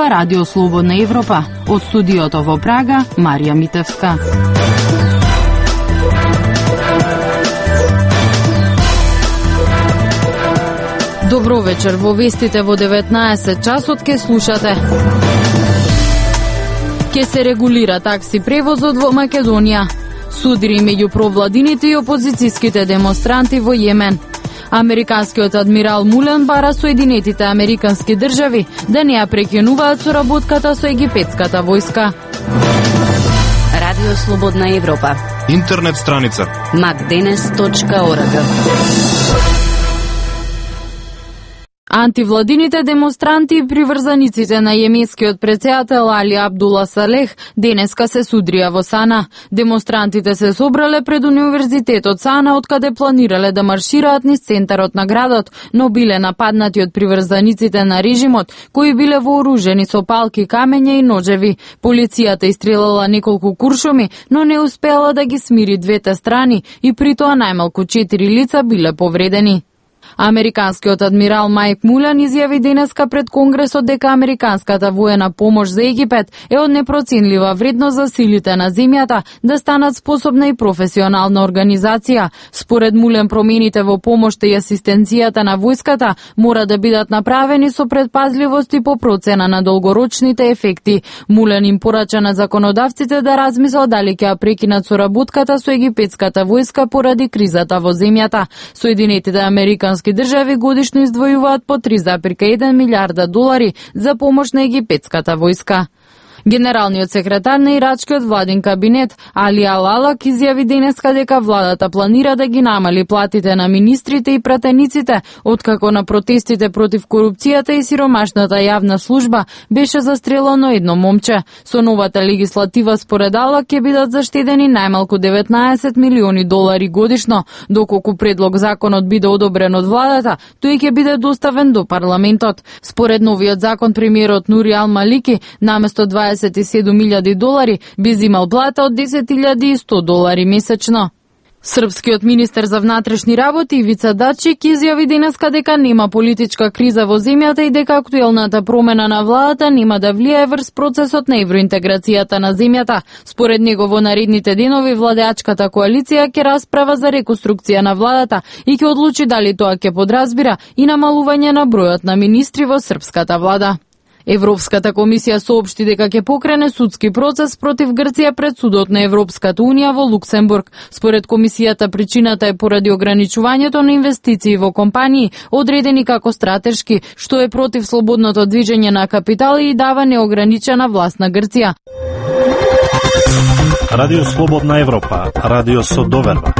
ова Радио Слободна Европа. Од студиото во Прага, Марија Митевска. Добро вечер, во вестите во 19 часот ке слушате. Ке се регулира такси превозот во Македонија. Судири меѓу провладините и опозицијските демонстранти во Јемен. Американскиот адмирал Мулен бара Соединетите Американски држави да не ја прекинуваат соработката со египетската војска. Радио Слободна Европа. Интернет страница macdenes.org. Антивладините демонстранти и приврзаниците на јеменскиот претседател Али Абдула Салех денеска се судрија во Сана. Демонстрантите се собрале пред универзитетот Сана, откаде планирале да маршираат низ центарот на градот, но биле нападнати од приврзаниците на режимот, кои биле вооружени со палки, камења и ножеви. Полицијата истрелала неколку куршуми, но не успеала да ги смири двете страни и при тоа најмалку 4 лица биле повредени. Американскиот адмирал Майк Мулен изјави денеска пред Конгресот дека американската воена помош за Египет е од непроценлива вредност за силите на земјата да станат способна и професионална организација. Според Мулен, промените во помошта и асистенцијата на војската мора да бидат направени со предпазливост и по процена на долгорочните ефекти. Мулен им порача на законодавците да размислат дали ќе ја прекинат соработката со египетската војска поради кризата во земјата. Соединетите Американски држави годишно издвојуваат по 3,1 милиарда долари за помош на египетската војска. Генералниот секретар на ирачкиот владин кабинет Али Алалак изјави денеска дека владата планира да ги намали платите на министрите и пратениците, откако на протестите против корупцијата и сиромашната јавна служба беше застрелено едно момче. Со новата легислатива според Алалак ќе бидат заштедени најмалку 19 милиони долари годишно, доколку предлог законот биде одобрен од владата, тој ќе биде доставен до парламентот. Според новиот закон, премиерот Нури Ал Малики наместо 27.000 долари би зимал плата од 10.100 долари месечно. Српскиот министер за внатрешни работи Ивица Дачик изјави денеска дека нема политичка криза во земјата и дека актуелната промена на владата нема да влијае врз процесот на евроинтеграцијата на земјата. Според него во наредните денови владеачката коалиција ќе расправа за реконструкција на владата и ќе одлучи дали тоа ќе подразбира и намалување на бројот на министри во српската влада. Европската комисија соопшти дека ќе покрене судски процес против Грција пред судот на Европската унија во Луксембург. Според комисијата, причината е поради ограничувањето на инвестиции во компании, одредени како стратешки, што е против слободното движење на капитали и дава неограничена власт на Грција. Радио Слободна Европа, радио со доверба.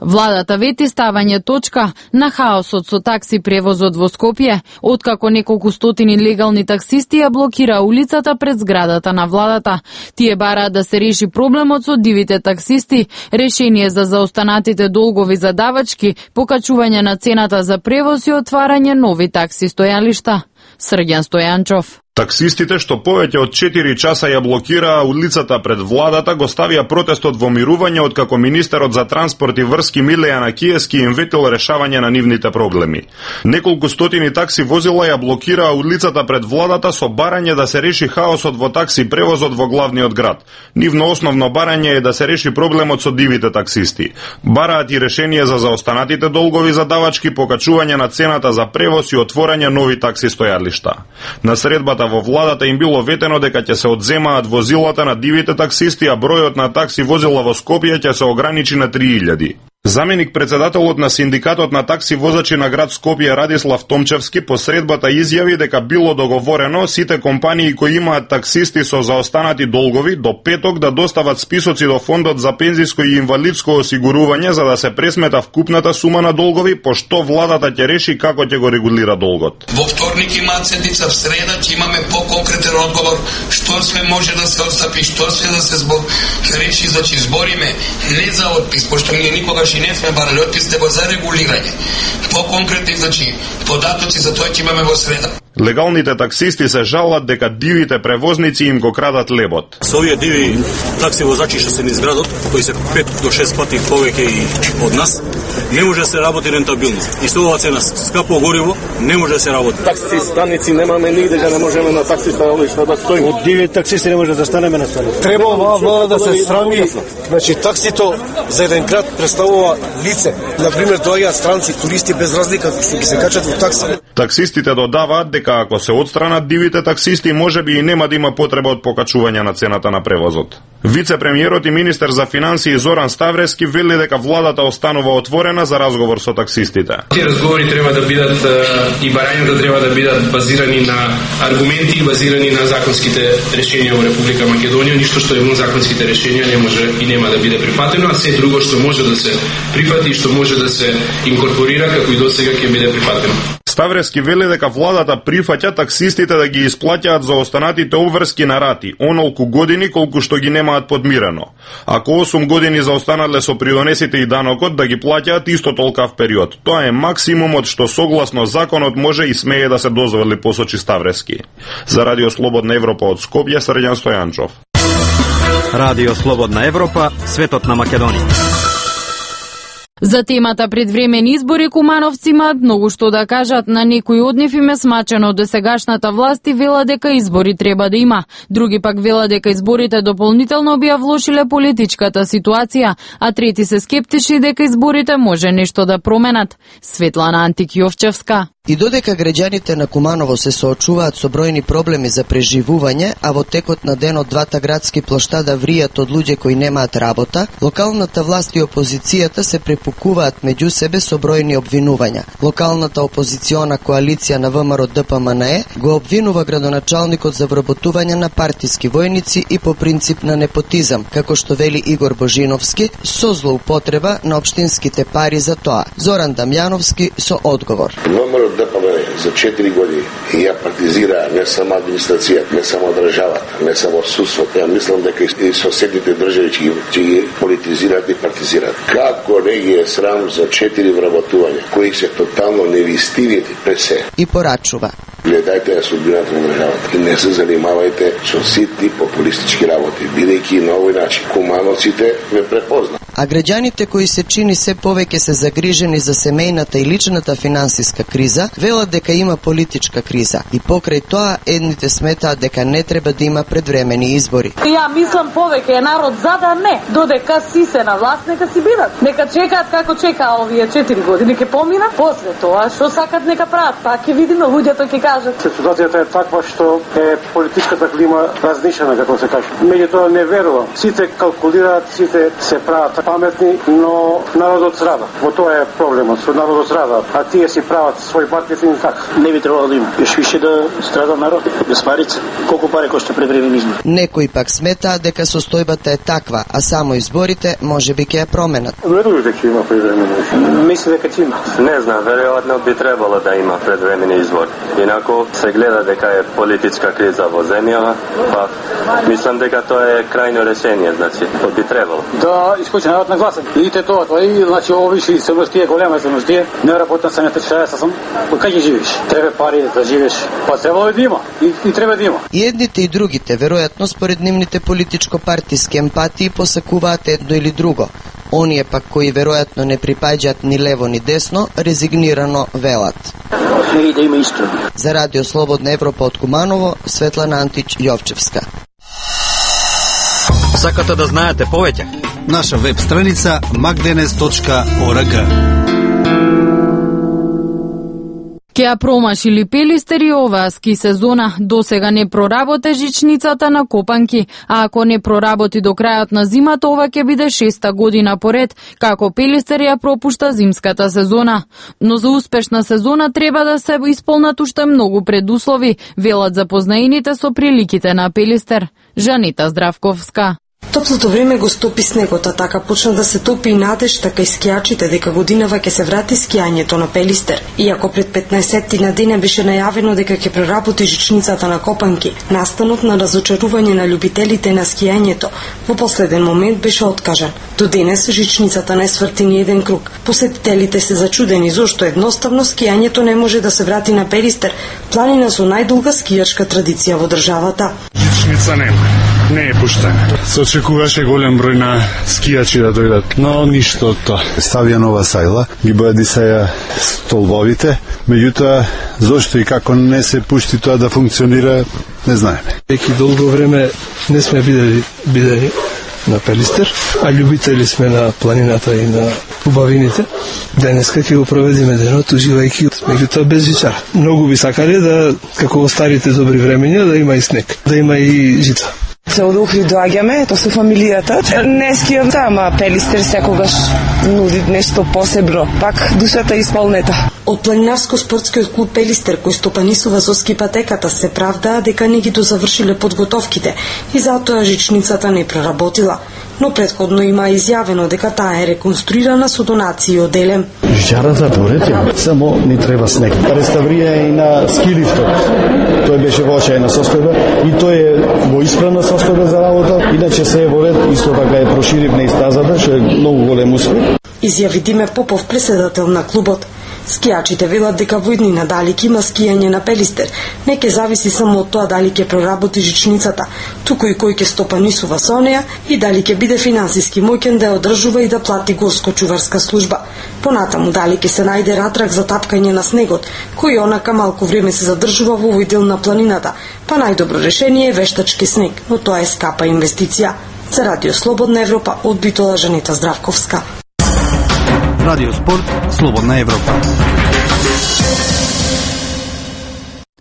Владата вети ставање точка на хаосот со такси превозот во Скопје, откако неколку стотини легални таксисти ја блокира улицата пред зградата на владата. Тие бараат да се реши проблемот со дивите таксисти, решение за заостанатите долгови за давачки, покачување на цената за превоз и отварање нови такси стојалишта. Срѓан Стојанчов. Таксистите што повеќе од 4 часа ја блокираа улицата пред владата го ставија протестот во мирување, откако министерот за транспорт и врски Милејана Киески им ветил решавање на нивните проблеми. Неколку стотини такси возила ја блокираа улицата пред владата со барање да се реши хаосот во такси превозот во главниот град. Нивно основно барање е да се реши проблемот со дивите таксисти. Бараат и решение за заостанатите долгови за давачки, покачување на цената за превоз и отворање нови такси стојалишта. На средбата во владата им било ветено дека ќе се одземаат возилата на дивите таксисти, а бројот на такси возила во Скопје ќе се ограничи на 3000. Заменик председателот на синдикатот на такси возачи на град Скопје Радислав Томчевски по средбата изјави дека било договорено сите компании кои имаат таксисти со заостанати долгови до петок да достават списоци до фондот за пензиско и инвалидско осигурување за да се пресмета вкупната сума на долгови, пошто владата ќе реши како ќе го регулира долгот. Во вторник имаат седница, в среда ќе имаме по-конкретен одговор што све може да се отстапи, што све да се реши, значи збориме не за отпис, пошто ние никогаш и не сме барали отпис, него за регулирање. По-конкретни, значи, податоци за тоа ќе имаме во среда. Легалните таксисти се жалат дека дивите превозници им го крадат лебот. Со овие диви такси возачи што се низ градот, кои се 5 до 6 пати повеќе и од нас, не може да се работи рентабилно. И со оваа цена скапо гориво не може да се работи. Такси станици немаме нигде, да не можеме на такси станалишта да стоиме. Од диви таксисти не може да станеме на станици. Треба оваа влада да се срами. Значи таксито за еден град представува лице. Например, доаѓаат странци, туристи без разлика што ги се качат во такси. Таксистите додаваат дека ако се отстранат дивите таксисти, можеби и нема да има потреба од покачување на цената на превозот. Вице-премиерот и министер за финансии Зоран Ставрески вели дека владата останува отворена за разговор со таксистите. Тие разговори треба да бидат и барањата треба да бидат базирани на аргументи и базирани на законските решенија во Република Македонија. Ништо што е во законските решенија не може и нема да биде прифатено, а се друго што може да се прифати и што може да се инкорпорира како и досега ќе биде прифатено. Ставрески вели дека владата прифаќа таксистите да ги исплаќаат за останатите обврски на рати, онолку години колку што ги немаат подмирено. Ако 8 години за останале со придонесите и данокот да ги плаќаат исто толкав период. Тоа е максимумот што согласно законот може и смее да се дозволи, посочи Ставрески. За Радио Слободна Европа од Скопје, Срđan Стојанчов. Радио Слободна Европа, светот на Македонија. За темата предвремени избори кумановци имаат многу што да кажат. На некои од нив им е смачено досегашната власт и вела дека избори треба да има. Други пак вела дека изборите дополнително би ја влошиле политичката ситуација, а трети се скептични дека изборите може нешто да променат. Светлана Антик-Јовчевска. И додека граѓаните на Куманово се соочуваат со бројни проблеми за преживување, а во текот на денот двата градски плоштада вријат од луѓе кои немаат работа, локалната власт и опозицијата се препукуваат меѓу себе со бројни обвинувања. Локалната опозициона коалиција на ВМРО ДПМНЕ го обвинува градоначалникот за вработување на партиски војници и по принцип на непотизам, како што вели Игор Божиновски, со злоупотреба на општинските пари за тоа. Зоран Дамјановски со одговор. ДПМНЕ за 4 години ја партизира не само администрацијата, не само државата, не само судството. Ја мислам дека и соседните држави ќе ги политизираат и партизираат. Како не ги е срам за 4 вработувања, кои се тотално невистиви пред се. И порачува. Гледајте ја судбината на државата и не се занимавајте со ситни популистички работи, бидејќи на овој начин кумановците ве препознат. А граѓаните кои се чини се повеќе се загрижени за семејната и личната финансиска криза, велат дека има политичка криза и покрај тоа едните сметаат дека не треба да има предвремени избори. Ја мислам повеќе е народ за да не, додека си се на власт, нека си бидат. Нека чекаат како чекаа овие 4 години, ќе помина, после тоа што сакат нека прават, па ќе видиме, луѓето ќе кажат. Ситуацијата е таква што е политичката клима разнишена, како се каже. Меѓутоа не верувам. Сите калкулираат, сите се прават паметни, но народот страда. Во тоа е проблемот, што народот страда, а тие си прават свој маркетинг така. Не би требало да има. Још више да страда народ, без парица. Колку пари кошта предвремени избори? Некои пак сметаат дека состојбата е таква, а само изборите можеби ќе ја променат. Верувам дека има предвремени избори. Мислам дека ќе има. Не знам, веројатно би требало да има предвремени избори. Инаку се гледа дека е политичка криза во земјава, па мислам дека тоа е крајно решение, значи, би требало. Да искочи народ на гласен. Видите тоа, и значи овие семностија, голема семностија, не работам самите 60 сум. Кај ќе живееш? Треба пари да живееш. Па треба да има. И треба да има. И едните и другите, веројатно според нивните политичко-партиски емпатии, посакуваат едно или друго. Оние пак кои веројатно не припаѓаат ни лево ни десно, резигнирано велат. И да има истина. За Радио Слободна Европа од Куманово, Светлана Антич-Јовчевска. Сакате да знаете повеќе? Наша веб страница magdenes.org. Ке ја промашили Пелистер оваа ски сезона. Досега не проработе жичницата на Копанки, а ако не проработи до крајот на зимата, ова ќе биде 6-та година поред, како Пелистер ја пропушта зимската сезона. Но за успешна сезона треба да се исполнат уште многу предуслови, велат запознаените со приликите на Пелистер. Жанита Здравковска. Топлото време го стопи снегот, а така почна да се топи и надежта кај скијачите дека годинава ќе се врати скијањето на Пелистер. Иако пред 15 на деня беше најавено дека ќе проработи жичницата на Копанки, настанот на разочарување на љубителите на скијањето во последен момент беше откажан. До денес жичницата не сврти ни еден круг. Посетителите се зачудени зошто едноставно скијањето не може да се врати на Пелистер, планина со најдолга скијачка традиција во државата. Жичница не е пуштена. Се очекуваше голем број на скијачи да дојдат, но ништо од тоа. Ставија нова сајла, ги бојадисаја столбовите, меѓутоа зошто и како не се пушти тоа да функционира, не знаеме. Веќе долго време не сме бидели на Пелистер, а љубители сме на планината и на убавините. Денеска ќе го проведеме денот уживајќи, меѓутоа без жичара. Многу би сакале да, како во старите добри времења, да има и снег, да има и жица. Се од Охрид доаѓаме, тоа со фамилијата. Не скијам тама, Пелистер секогаш нуди нешто посебно. Пак душата е исполнета. Од планинарско-спортскиот клуб Пелистер, кој стопанисува со ски патеката, се правдаа дека не ги дозавршиле подготовките и затоа жичницата не проработила. Но предходно има изјавено дека таа е реконструирана со донации од Елем. Жичарата поред, само ни треба снег. Реставрија и на скилифтот. Тој беше во очајна состојба и тој е во исправна состојба за работа. Иначе се е во ред, исто така е проширивна и стазата, што е многу голем успех. Изјави Диме Попов, председател на клубот. Скијачите велат дека во иднина дали ќе има скијање на Пелистер, не ќе зависи само од тоа дали ќе проработи жичницата, туку и кој ќе стопанисува со неа и дали ќе биде финансиски моќен да ја одржува и да плати горско-чуварска служба. Понатаму дали ќе се најде ратрак за тапкање на снегот, кој онака малку време се задржува во овој дел на планината, па најдобро решение е вештачки снег, но тоа е скапа инвестиција. За Радио Слободна Европа, од Битола, Жанета Здравковска. Радио Спорт, Слободна Европа.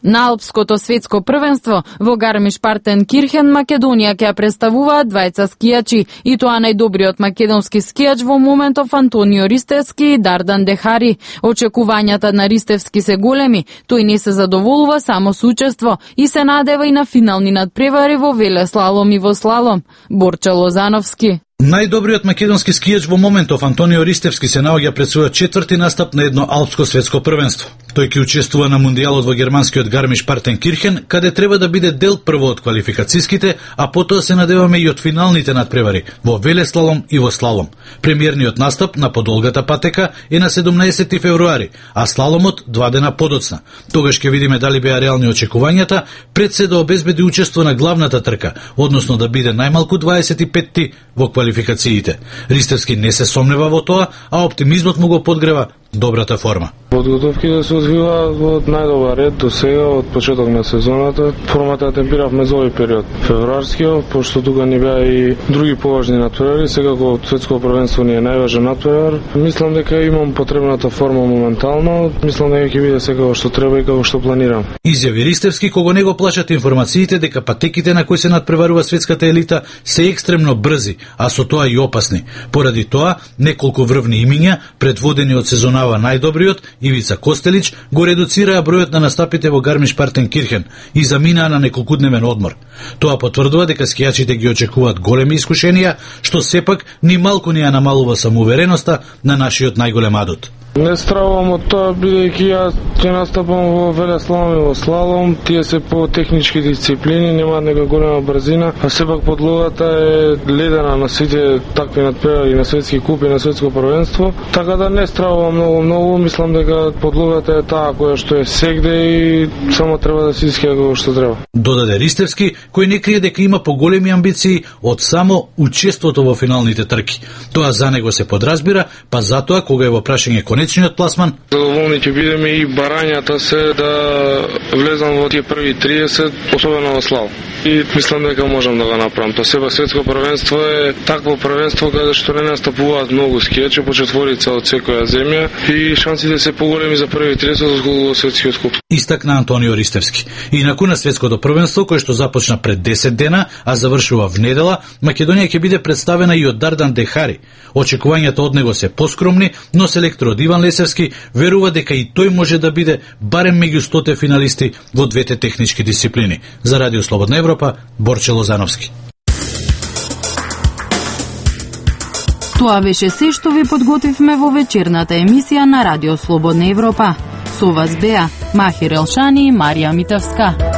На Алпското светско првенство во Гармиш-Партенкирхен Македонија ќе представуваат двајца скијачи, и тоа најдобриот македонски скијач во моментов Антонио Ристевски и Дардан Дехари. Очекувањата на Ристевски се големи, тој не се задоволува само со учество и се надева и на финални надпревари во велеслалом и во слалом. Борче Лозановски. Најдобриот македонски скијач во моментов Антонио Ристевски се наоѓа пред својот четврти настап на едно алпско светско првенство. Тој ќе учествува на мундијалот во германскиот Гармиш-Партенкирхен, каде треба да биде дел прво од квалификацијските, а потоа се надеваме и од финалните надпревари во велеслалом и во слалом. Премиерниот настап на подолгата патека е на 17 февруари, а слаломот 2 дена подоцна. Тогаш ќе видиме дали беа реални очекувањата пред се да обезбеди учество на главната трка, односно да биде најмалку 25-ти во квалификациите. Ристевски не се сомнева во тоа, а оптимизмот му го подгрева добрата форма. Подготовките се одвиваат во најдобар ред до сега од почеток на сезоната. Формата ја темпиравме за овој период. Февруарскиот, пошто тука ни беа и други поважни надпревари, секако светско првенство ни е најважен надпревар. Мислам дека имам потребната форма моментално. Мислам дека ќе биде секако што треба и како што планирам. Изјави Ристевски, кого не го плашат информациите дека патеките на кои се надпреварува светската елита се екстремно брзи, а со тоа и опасни. Поради тоа, неколку врвни имиња, предводени од сезонава најдобриот, Ивица Костелич, го редуцираа бројот на настапите во Гармиш-Партенкирхен и заминаа на неколкудневен одмор. Тоа потврдува дека скијачите ги очекуваат големи искушенија, што сепак ни малку не ја намалува самоувереноста на нашиот најголем адут. Не стравам од тоа, бидејќи јас ќе настапам во велеслалом и во слалом, тие се по технички дисциплини, немаат нека голема брзина, а сепак подлогата е ледена на сите такви надпревари на светски куп и на светско првенство, така да не стравам многу, мислам дека подлогата е таа која што е сегде и само треба да се искија како што треба. Додаде Ристевски, кој не крие дека има поголеми амбиции од само учеството во финалните трки. Тоа за него се подразбира, па затоа кога е во прашање конечниот пласман. Задоволни ќе бидеме и барањата се да влезам во тие први 30, особено во слал. И мислам дека можам да го направам. Тоа сепак светско првенство е такво првенство каде што не настапуваат многу скијачи, по четворица од секоја земја и шансите се поголеми за први 30 од светскиот куп. Истакна Антонио Ристевски. Инаку на светското првенство, кој што започна пред 10 дена, а завршува в недела, Македонија ќе биде представена и од Дардан Дехари. Очекувањата од него се поскромни, но селекторот Иван Лесевски верува дека и тој може да биде барем меѓу 100 финалисти во двете технички дисциплини. За Радио Слободна Европа, Борче Лозановски. Тоа беше се што ви подготвивме во вечерната емисија на Радио Слободна Европа. Со вас беа Махир Елшани и Марија Митевска.